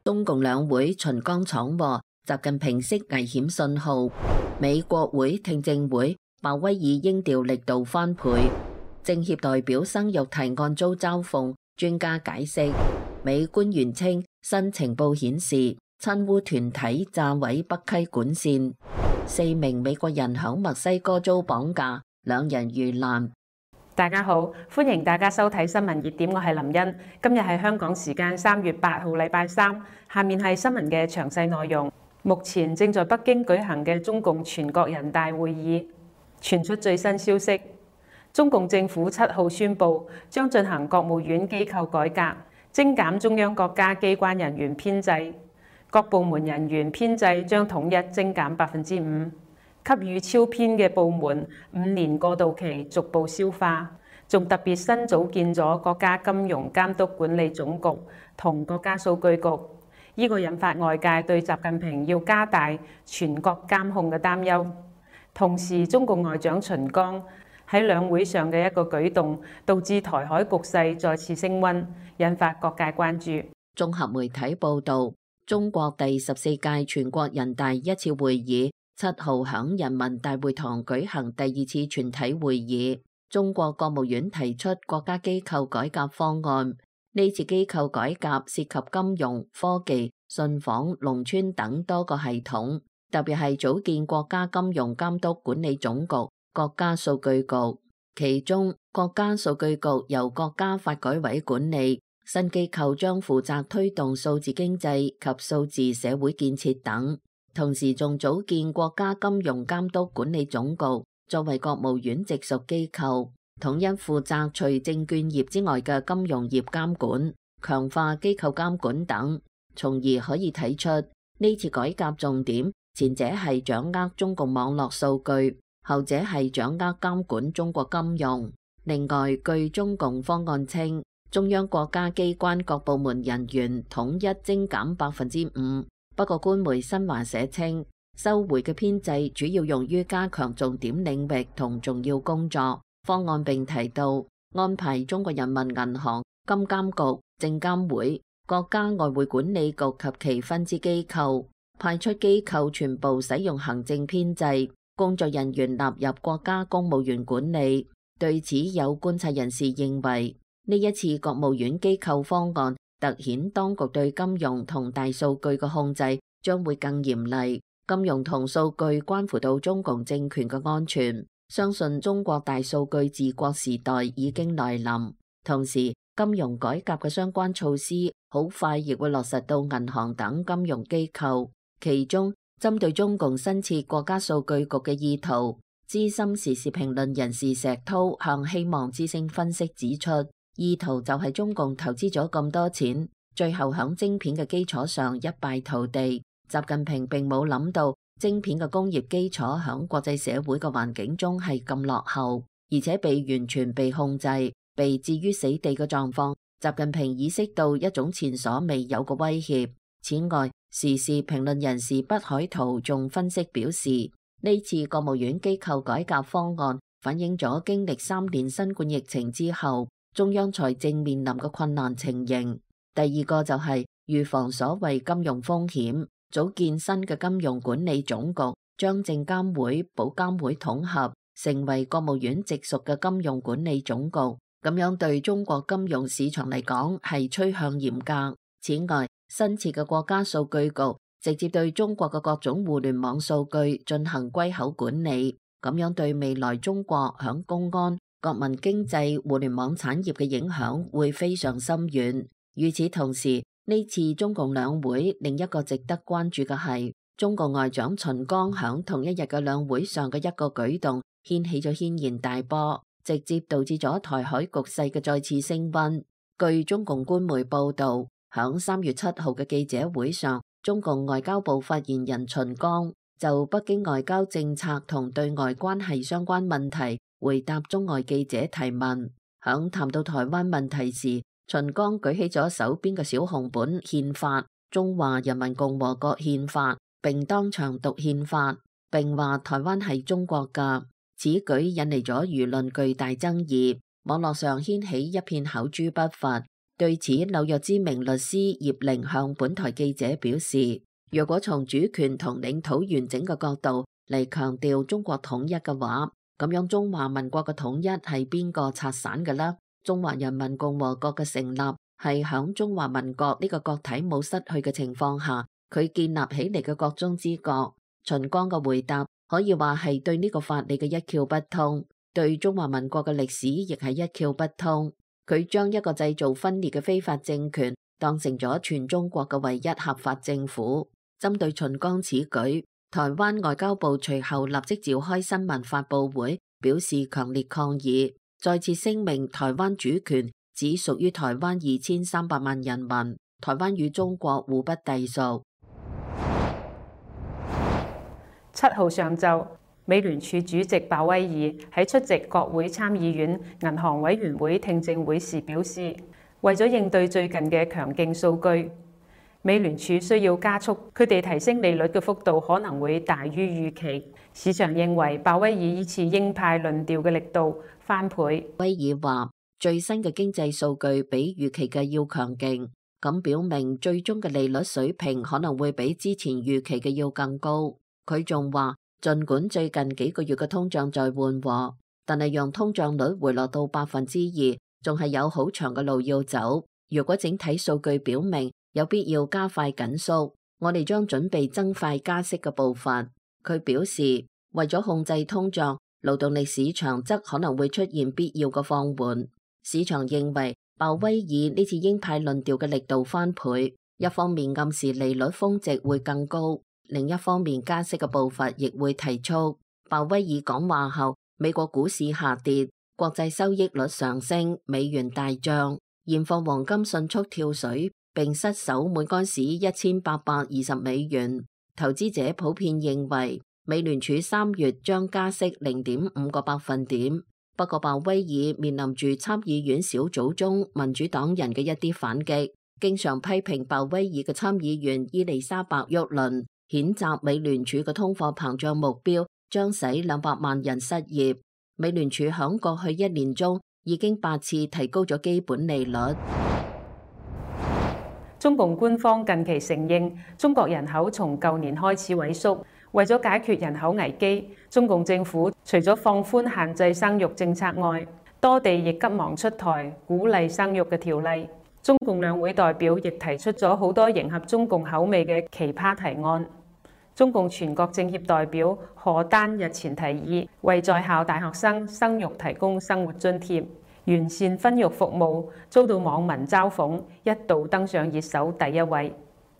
中共兩會秦剛闖禍，習近平釋危險信號。美國會聽證會，鮑威爾應調力度翻倍。政協代表生育提案遭嘲諷，專家解釋。美官員稱，新情報顯示親烏團體炸毀北溪管線。4名美國人響墨西哥遭綁架，2人遇難。大家好，歡迎大家收睇新聞熱點，我係林茵。今日係香港時間3月8號禮拜三，下面係新聞嘅詳細內容。目前正在北京舉行嘅中共全國人大會議傳出最新消息，中共政府7號宣布將進行國務院機構改革，精簡中央國家機關人員編制，各部門人員編制將統一精簡5%。給予超編嘅部門5年過渡期逐步消化，仲特別新組建咗國家金融監督管理總局同國家數據局，呢個引發外界對習近平要加大全國監控嘅擔憂。同時，中共外長秦剛喺兩會上嘅一個舉動，導致台海局勢再次升溫，引發各界關注。綜合媒體報導，中國第14屆全國人大一次會議7號響人民大會堂舉行第2次全體會議，中國國務院提出國家機構改革方案。呢次機構改革涉及金融、科技、信訪、農村等多個系統，特別係組建國家金融監督管理總局、國家數據局。其中，國家數據局由國家發改委管理，新機構將負責推動數字經濟及數字社會建設等。同時仲組建國家金融監督管理總局，作為國務院直屬機構，統一負責除證券業之外嘅金融業監管，強化機構監管等，從而可以睇出呢次改革重點，前者係掌握中共網絡數據，後者係掌握監管中國金融。另外，據中共方案稱，中央國家機關各部門人員統一精簡5%。不過官媒新華社稱，收回嘅編制主要用於加強重點領域同重要工作。方案並提到安排中國人民銀行、金監局、證監會、國家外匯管理局及其分支機構派出機構全部使用行政編制，工作人員納入國家公務員管理。對此，有觀察人士認為，呢一次國務院機構方案凸顯當局對金融同大數據嘅控制將會更嚴厲。金融同數據關乎到中共政權嘅安全，相信中國大數據治國時代已經來臨。同時，金融改革嘅相關措施好快亦會落實到銀行等金融機構。其中，針對中共新設國家數據局嘅意圖，資深時事評論人士石濤向希望之聲分析指出，意圖就係中共投資咗咁多錢，最後響晶片嘅基礎上一敗塗地。習近平並冇諗到晶片嘅工業基礎響國際社會嘅環境中係咁落後，而且被完全被控制、被置於死地嘅狀況。習近平意識到一種前所未有嘅威脅。此外，時事評論人士畢海濤仲分析表示，呢次國務院機構改革方案反映咗經歷3年新冠疫情之後，中央財政面臨嘅困難情形。第二個就係預防所謂金融風險，組建新嘅金融管理總局，將證監會、保監會統合，成為國務院直屬嘅金融管理總局。咁樣對中國金融市場嚟講係趨向嚴格。此外，新設嘅國家數據局直接對中國嘅各種互聯網數據進行歸口管理，咁樣對未來中國響公安、國民經濟、互聯網產業嘅影響會非常深遠。與此同時，呢次中共兩會另一個值得關注嘅係中國外長秦剛響同一日嘅兩會上嘅一個舉動，掀起咗軒然大波，直接導致咗台海局勢嘅再次升溫。據中共官媒報道，響3月7號嘅記者會上，中共外交部發言人秦剛就北京外交政策同對外關係相關問題回答中外記者提問。響談到台灣問題時，秦剛舉起咗手邊嘅小紅本憲法《中華人民共和國憲法》，並當場讀憲法，並話台灣係中國㗎。此舉引嚟咗輿論巨大爭議，網絡上掀起一片口誅筆伐。對此，紐約知名律師葉玲向本台記者表示，若果從主權同領土完整嘅角度嚟強調中國統一嘅話，咁樣中華民國嘅統一係邊個拆散嘅呢？中華人民共和國嘅成立係響中華民國呢個國體冇失去嘅情況下，佢建立起嚟嘅國中之國。秦剛嘅回答可以話係對呢個法理嘅一竅不通，對中華民國嘅歷史亦係一竅不通。佢將一個製造分裂嘅非法政權當成咗全中國嘅唯一合法政府。針對秦剛此舉，台灣外交部隨後立即召開新聞發佈會，表示強烈抗議，再次聲明台灣主權只屬於台灣2300萬人民，台灣與中國互不隸屬。7號上晝，美聯儲主席鮑威爾喺出席國會參議院銀行委員會聽證會時表示，為咗應對最近嘅強勁數據，美聯儲需要加速佢哋提升利率嘅幅度，可能會大於預期。市場認為鮑威爾依次鷹派論調嘅力度翻倍。威爾話：最新嘅經濟數據比預期嘅要強勁，咁表明最終嘅利率水平可能會比之前預期嘅要更高。佢仲話，儘管最近幾個月嘅通脹在緩和，但係讓通脹率回落到2%，仲係有好長嘅路要走。如果整體數據表明有必要加快緊縮，我哋將準備增快加息嘅步伐。佢表示，為咗控制通脹，勞動力市場則可能會出現必要嘅放緩。市場認為鮑威爾呢次鷹派論調嘅力度翻倍，一方面暗示利率峰值會更高，另一方面加息嘅步伐亦會提速。鮑威爾講話後，美國股市下跌，國際收益率上升，美元大漲，現貨黃金迅速跳水，並失守每盎司1820美元。投資者普遍認為美聯儲3月將加息0.5個百分點。不過鮑威爾面臨住參議院小組中民主黨人嘅一啲反擊，經常批評鮑威爾嘅參議員伊麗莎白沃倫譴責美聯儲嘅通貨膨脹目標將使200萬人失業。美聯儲響過去1年中已經8次提高咗基本利率。中共官方近期承認，中國人口從舊年開始萎縮。為咗解決人口危機，中共政府除咗放寬限制生育政策外，多地亦急忙出台鼓勵生育嘅條例。中共兩會代表亦提出咗好多迎合中共口味嘅奇葩提案。中共全國政協代表何丹日前提議，為在校大學生生育提供生活津貼，完善婚育服務，遭到網民嘲諷，一度登上熱搜第1位。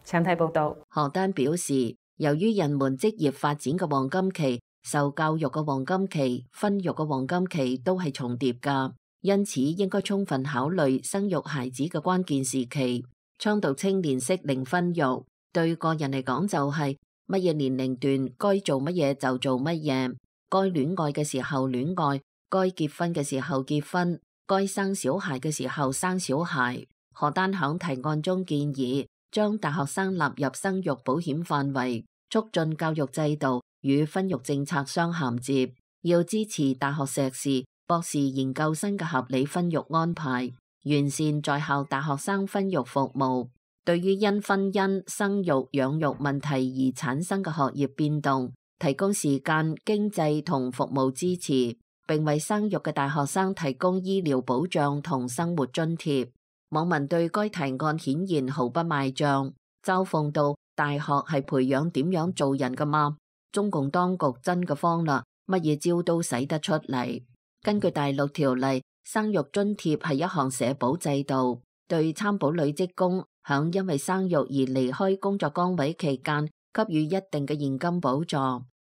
請睇報道。何丹表示，由於人們職業發展嘅黃金期、受教育嘅黃金期、婚育嘅黃金期都係重疊㗎，因此應該充分考慮生育孩子嘅關鍵時期，倡導青年適齡婚育。對個人嚟講就係乜嘢年齡段該做乜嘢就做乜嘢，該戀愛嘅時候戀愛，該結婚嘅時候結婚，該生小孩嘅時候生小孩。何丹響提案中建議，將大學生納入生育保險範圍，促進教育制度與婚育政策相銜接，要支持大學碩士、博士研究生嘅合理婚育安排，完善在校大學生婚育服務。對於因婚姻、生育、養育問題而產生嘅學業變動，提供時間、經濟同服務支持，並為生育嘅大學生提供醫療保障同生活津貼。網民對該提案顯然毫不買賬，嘲諷道：大學係培養點樣做人㗎嘛？中共當局真嘅慌啦，乜嘢招都使得出嚟。根據第6條例，生育津貼係一項社保制度，對參保女職工響因為生育而離開工作崗位期間給予一定嘅現金補助。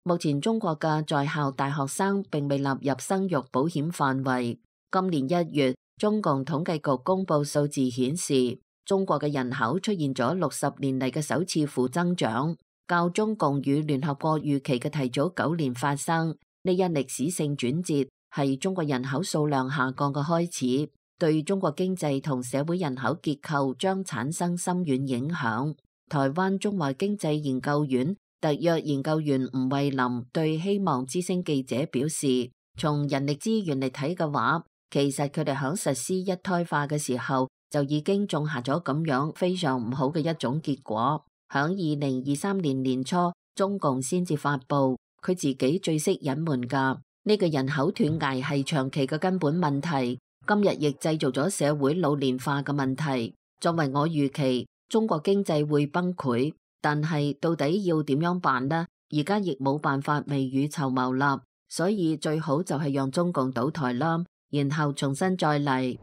目前中國嘅在校大學生並未納入生育保險範圍。今年1月，中共統計局公布數字顯示，中國嘅人口出現咗60年嚟嘅首次負增長，較中共與聯合國預期嘅提早9年發生。呢一歷史性轉折係中國人口數量下降嘅開始，對中國經濟同社會人口結構將產生深遠影響。台灣中華經濟研究院特約研究員吳慧林對希望之聲記者表示，從人力資源嚟睇嘅話，其實佢哋響實施一胎化嘅時候就已經種下咗咁樣非常唔好嘅一種結果。響2023年年初，中共先至發布佢自己最識隱瞞㗎呢個人口斷崖係長期嘅根本問題，今日亦製造咗社會老年化嘅問題。作為我預期，中國經濟會崩潰，但係到底要點樣辦呢？而家亦冇辦法未雨綢繆啦，所以最好就係讓中共倒台啦，然後重新再嚟。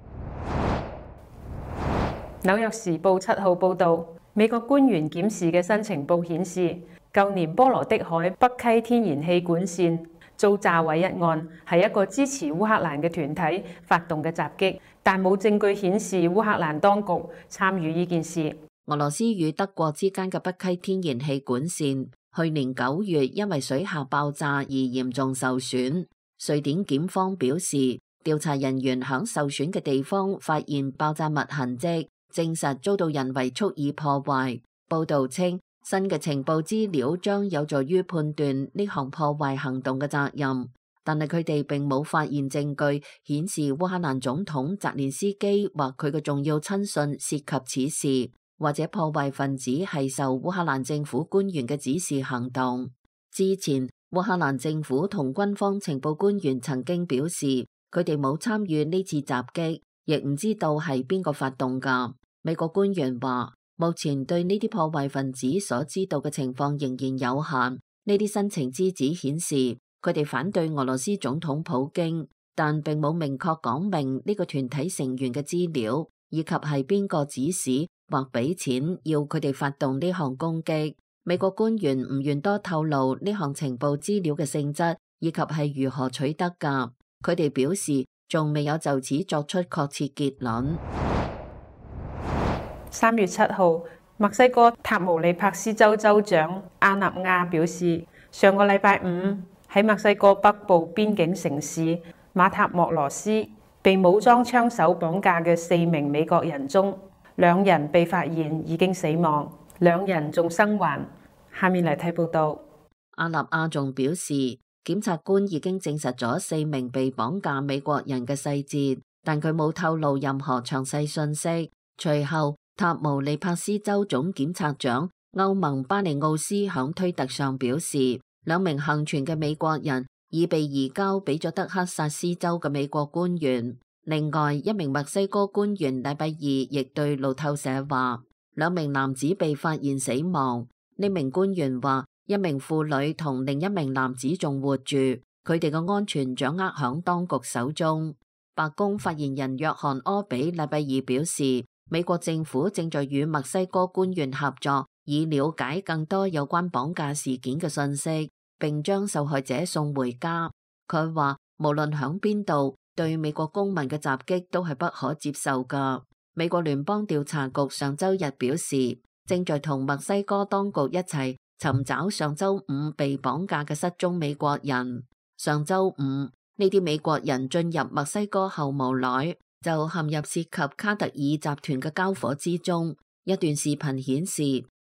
紐約時報7號報導，美國官員檢視嘅新情報顯示，舊年波羅的海北溪天然氣管線遭炸毀一案，係一個支持烏克蘭嘅團體發動嘅襲擊，但冇證據顯示烏克蘭當局參與呢件事。俄羅斯與德國之間嘅北溪天然氣管線，去年9月因為水下爆炸而嚴重受損。瑞典檢方表示，調查人員響受損嘅地方發現爆炸物痕跡，證實遭到人為蓄意破壞。報導稱，新嘅情報資料將有助於判斷呢項破壞行動嘅責任，但係佢哋並冇發現證據顯示烏克蘭總統澤連斯基或佢嘅重要親信涉及此事，或者破壞分子係受烏克蘭政府官員嘅指示行動。之前，烏克蘭政府同軍方情報官員曾經表示，佢哋冇參與呢次襲擊，亦唔知道係邊個發動㗎。美國官員話，目前對呢啲破壞分子所知道嘅情況仍然有限。呢啲新情資料顯示，佢哋反對俄羅斯總統普京，但並冇明確講明呢個團體成員嘅資料，以及係邊個指使或俾錢要佢哋發動呢項攻擊。美國官員唔願多透露呢項情報資料嘅性質，以及係如何取得㗎。佢哋表示，仲未有就此作出確切結論。3月7號，墨西哥塔毛利帕斯州州長阿納亞表示，上個禮拜五喺墨西哥北部邊境城市馬塔莫羅斯被武裝槍手綁架嘅4名美國人中，2人被發現已經死亡，2人仲生還。下面嚟睇報道。阿納亞仲表示，檢察官已經證實咗4名被綁架美國人嘅細節，但佢冇透露任何詳細信息。隨後，塔毛利帕斯州總檢察長歐盟巴尼奧斯響推特上表示，2名幸存嘅美國人已被移交俾咗德克薩斯州嘅美國官員。另外1名墨西哥官員禮拜2亦對路透社話，2名男子被發現死亡。呢名官員話，1名婦女同另1名男子仲活住，佢哋嘅安全掌握響當局手中。白宮發言人約翰柯比禮拜2表示，美國政府正在與墨西哥官員合作，以了解更多有關綁架事件嘅信息，並將受害者送回家。佢話，無論響邊度，對美國公民嘅襲擊都係不可接受㗎。美國聯邦調查局上週日表示，正在同墨西哥當局一齊尋找上週五被綁架嘅失蹤美國人。上週五，呢啲美國人進入墨西哥後無耐就陷入涉及卡特爾集團嘅交火之中。一段視頻顯示，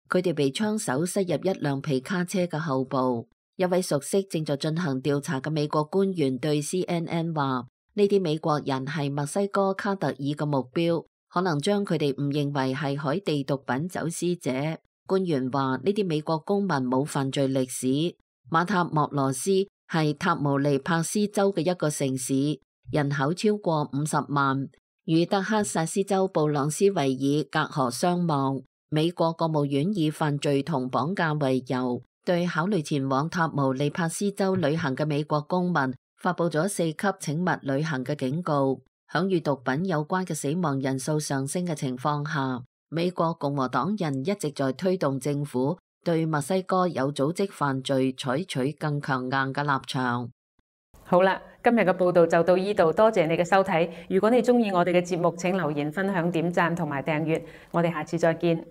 佢哋被槍手塞入一輛皮卡車嘅後部。一位熟悉正在進行調查嘅美國官員對 CNN 話，呢啲美國人係墨西哥卡特爾嘅目標，可能將佢哋誤認為係海地毒品走私者。官員話，呢啲美國公民冇犯罪歷史。馬塔莫羅斯係塔毛利帕斯州嘅一個城市，人口超過50萬，與德克薩斯州布朗斯維爾隔河相望。美國國務院以犯罪同綁架為由，對考慮前往塔毛利帕斯州旅行嘅美國公民發佈咗4級請勿旅行嘅警告。響與毒品有關嘅死亡人數上升嘅情況下，美國共和黨人一直在推動政府對墨西哥有組織犯罪採取更強硬嘅立場。好啦，今日嘅報道就到呢度，多謝你嘅收睇。如果你鍾意我哋嘅節目，請留言、分享、點讚同埋訂閱。我哋下次再見。